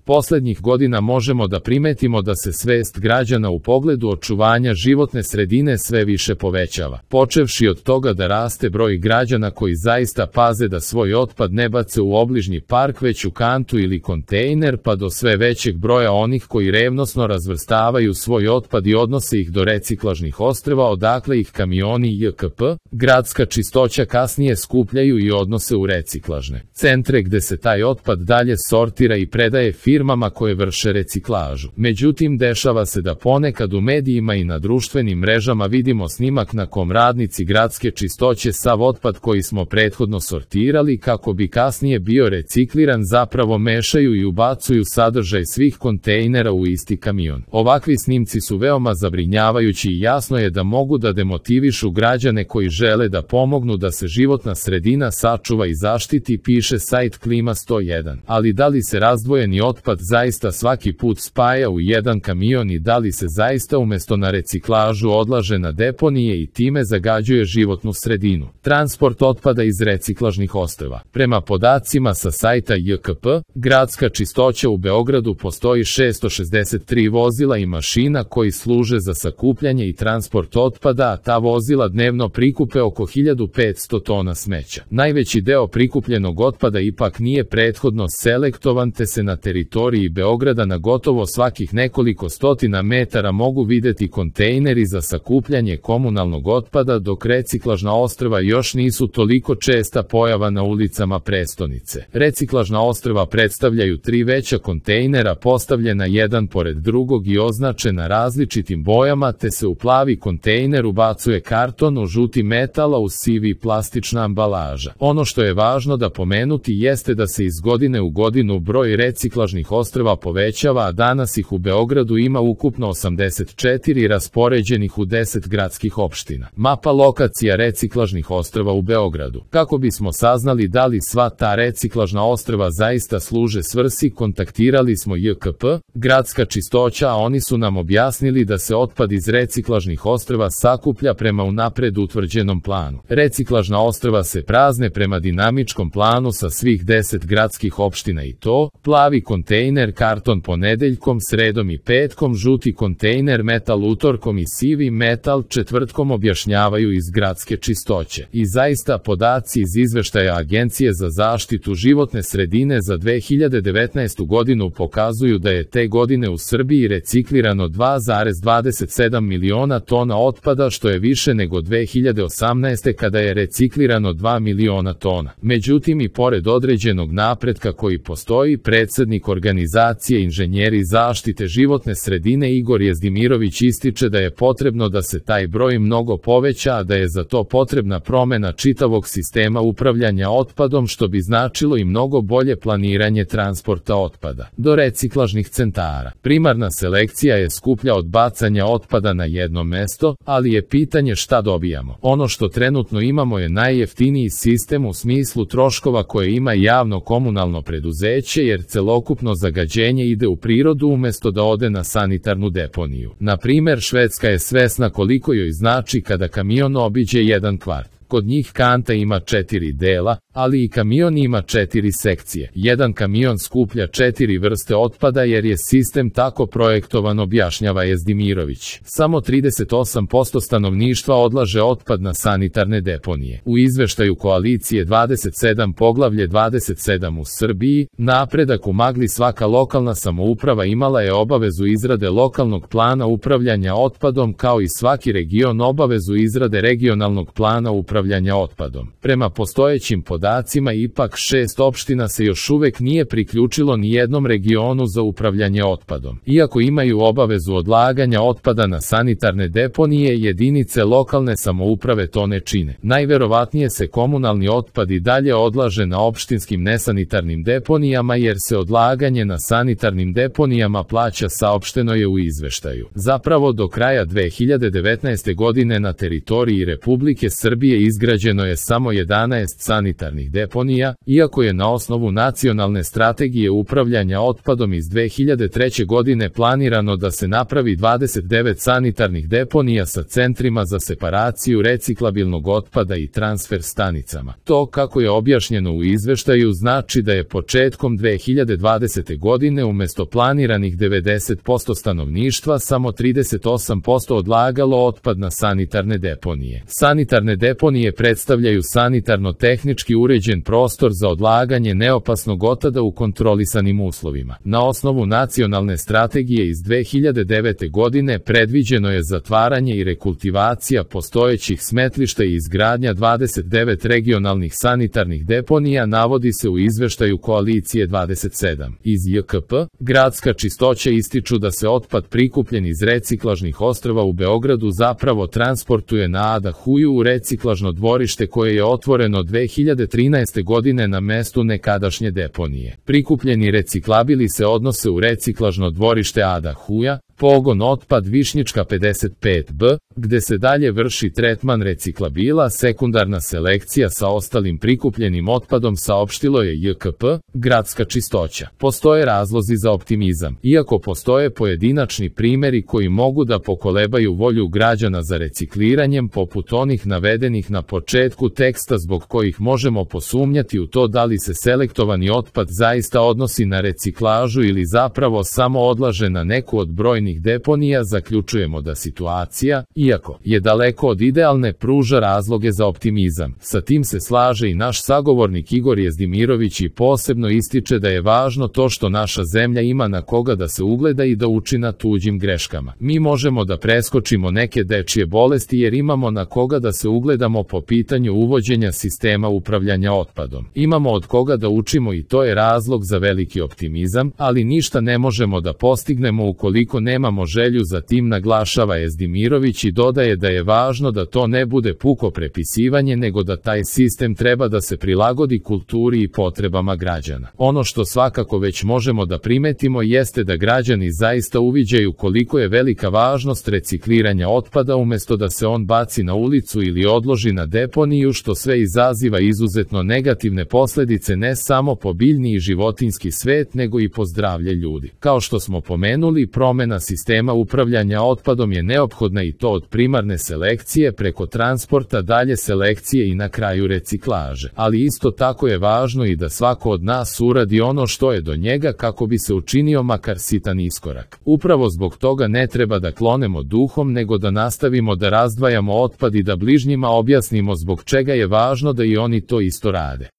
Poslednjih godina možemo da primetimo da se svest građana u pogledu očuvanja životne sredine sve više povećava. Počevši od toga da raste broj građana koji zaista paze da svoj otpad ne bace u obližnji park već u kantu ili kontejner, pa do sve većeg broja onih koji revnosno razvrstavaju svoj otpad i odnose ih do reciklažnih ostrva odakle ih kamioni JKP, gradska čistoća kasnije skupljaju i odnose u reciklažne centre gde se taj otpad dalje sortira i predaje firmama koje vrše reciklažu. Međutim, dešava se da ponekad u medijima i na društvenim mrežama vidimo snimak na kom radnici gradske čistoće sav otpad koji smo prethodno sortirali kako bi kasnije bio recikliran zapravo mešaju i ubacuju sadržaj svih kontejnera u isti kamion. Ovakvi snimci su veoma zabrinjavajući i jasno je da mogu da demotivišu građane koji žele da pomognu da se životna sredina sačuva i zaštiti, piše sajt Klima 101. Ali da li se razdvojeni otpad zaista svaki put spaja u jedan kamion i da li se zaista umesto na reciklažu odlaže na deponije i time zagađuje životnu sredinu? Transport otpada iz reciklažnih ostrva. Prema podacima sa sajta JKP, gradska čistoća u Beogradu postoji 663 vozila i mašina koji služe za sakupljanje i transport otpada, a ta vozila dnevno prikupe oko 1500 tona smeća. Najveći deo prikupljenog otpada ipak nije prethodno selektovan te se na teritoriji Beograda na gotovo svakih nekoliko stotina metara mogu videti kontejneri za sakupljanje komunalnog otpada, dok reciklažna ostrva još nisu toliko česta pojava na ulicama prestonice. Reciklažna ostrva predstavljaju 3 veća kontejnera postavljena jedan pored drugog i označena različitim bojama, te se u plavi kontejner ubacuje karton, u žuti metal, a u sivi plastična ambalaža. Ono što je važno da pomenuti jeste da se iz godine u godinu broj reciklažnih ostrva povećava, a danas ih u Beogradu ima ukupno 84 raspoređenih u 10 gradskih opština. Mapa lokacija reciklažnih ostrva u Beogradu. Kako bismo saznali da li sva ta reciklažna ostrva zaista služe svrsi, kontaktirali smo JKP, gradska čistoća, a oni su nam objasnili da se otpad iz reciklažnih ostrva sakuplja prema unapred utvrđenom planu. Reciklažna ostrva se prazne prema dinamičkom planu sa svih 10 gradskih opština i to: plavi kontejner karton ponedeljkom, sredom i petkom, žuti kontejner metal utorkom i sivi metal četvrtkom, objašnjavaju iz gradske čistoće. I zaista podaci iz izveštaja Agencije za zaštitu životne sredine za 2019. godinu pokazuju da je te godine u Srbiji reciklirano 2,27 miliona tona otpada, što je više nego 2018. kada je reciklirano 2 miliona tona. Međutim, i pored određenog napretka koji postoji, predsednik organizacije Inženjeri zaštite životne sredine Igor Jezdimirović ističe da je potrebno da se taj broj mnogo poveća, a da je za to potrebna promena čitavog sistema upravljanja otpadom, što bi značilo i mnogo bolje planiranje transporta otpada do reciklažnih centara. Primarna selekcija je skuplja od bacanja otpada na jedno mesto, ali je pitanje šta dobijamo. Ono što trenutno imamo je najjeftiniji sistem u smislu troškova koje ima javno komunalno preduzeće, jer celokupno zagađenje ide u prirodu umesto da ode na sanitarnu deponiju. Na primer, Švedska je svesna koliko joj znači kada kamion obiđe jedan kvart. Kod njih kanta ima 4 dela, ali i kamion ima 4 sekcije. Jedan kamion skuplja 4 vrste otpada jer je sistem tako projektovan, objašnjava Jezdimirović. Samo 38% stanovništva odlaže otpad na sanitarne deponije. U izveštaju Koalicije 27 poglavlje 27 u Srbiji, napredak u magli, svaka lokalna samouprava imala je obavezu izrade lokalnog plana upravljanja otpadom, kao i svaki region obavezu izrade regionalnog plana upravljanja otpadom. Prema postojećim podacima, ipak 6 opština se još uvek nije priključilo ni jednom regionu za upravljanje otpadom. Iako imaju obavezu odlaganja otpada na sanitarne deponije, jedinice lokalne samouprave to ne čine. Najverovatnije se komunalni otpad i dalje odlaže na opštinskim nesanitarnim deponijama, jer se odlaganje na sanitarnim deponijama plaća, saopšteno je u izveštaju. Zapravo, do kraja 2019. godine na teritoriji Republike Srbije izgrađeno je samo 11 sanitarnih deponija, iako je na osnovu nacionalne strategije upravljanja otpadom iz 2003. godine planirano da se napravi 29 sanitarnih deponija sa centrima za separaciju reciklabilnog otpada i transfer stanicama. To, kako je objašnjeno u izveštaju, znači da je početkom 2020. godine umjesto planiranih 90% stanovništva samo 38% odlagalo otpad na sanitarne deponije. Sanitarne deponije predstavljaju sanitarno-tehnički uređen prostor za odlaganje neopasnog otpada u kontrolisanim uslovima. Na osnovu nacionalne strategije iz 2009. godine predviđeno je zatvaranje i rekultivacija postojećih smetlišta i izgradnja 29 regionalnih sanitarnih deponija, navodi se u izveštaju Koalicije 27. Iz JKP, Gradska čistoća ističu da se otpad prikupljen iz reciklažnih ostrva u Beogradu zapravo transportuje na Ada Huju u reciklažno dvorište koje je otvoreno 2013. godine na mestu nekadašnje deponije. Prikupljeni reciklabili se odnose u reciklažno dvorište Ada Huja, pogon otpad Višnjička 55B, gde se dalje vrši tretman reciklabila, sekundarna selekcija sa ostalim prikupljenim otpadom, saopštilo je JKP, Gradska čistoća. Postoje razlozi za optimizam, iako postoje pojedinačni primjeri koji mogu da pokolebaju volju građana za recikliranjem, poput onih navedenih na početku teksta, zbog kojih možemo posumnjati u to da li se selektovani otpad zaista odnosi na reciklažu ili zapravo samo odlaže na neku od brojnih deponija. Zaključujemo da situacija, iako je daleko od idealne, pruža razloge za optimizam. Sa tim se slaže i naš sagovornik Igor Jezdimirović i posebno ističe da je važno to što naša zemlja ima na koga da se ugleda i da uči na tuđim greškama. Mi možemo da preskočimo neke dečije bolesti jer imamo na koga da se ugledamo po pitanju uvođenja sistema upravljanja otpadom. Imamo od koga da učimo i to je razlog za veliki optimizam, ali ništa ne možemo da postignemo ukoliko nemamo želju za tim, naglašava Jezdimirović i dodaje da je važno da to ne bude puko prepisivanje, nego da taj sistem treba da se prilagodi kulturi i potrebama građana. Ono što svakako već možemo da primetimo jeste da građani zaista uviđaju koliko je velika važnost recikliranja otpada umjesto da se on baci na ulicu ili odloži na deponiju, što sve izaziva izuzetno negativne posljedice ne samo po biljni i životinjski svet, nego i po zdravlje ljudi. Kao što smo pomenuli, promjena sistema upravljanja otpadom je neophodna i to od primarne selekcije preko transporta, dalje selekcije i na kraju reciklaže. Ali isto tako je važno i da svako od nas uradi ono što je do njega kako bi se učinio makar sitan iskorak. Upravo zbog toga ne treba da klonemo duhom, nego da nastavimo da razdvajamo otpad i da bližnjima objasnimo zbog čega je važno da i oni to isto rade.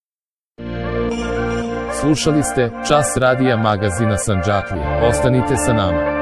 Slušali ste Čas radija magazina Sandžaklija. Ostanite sa nama.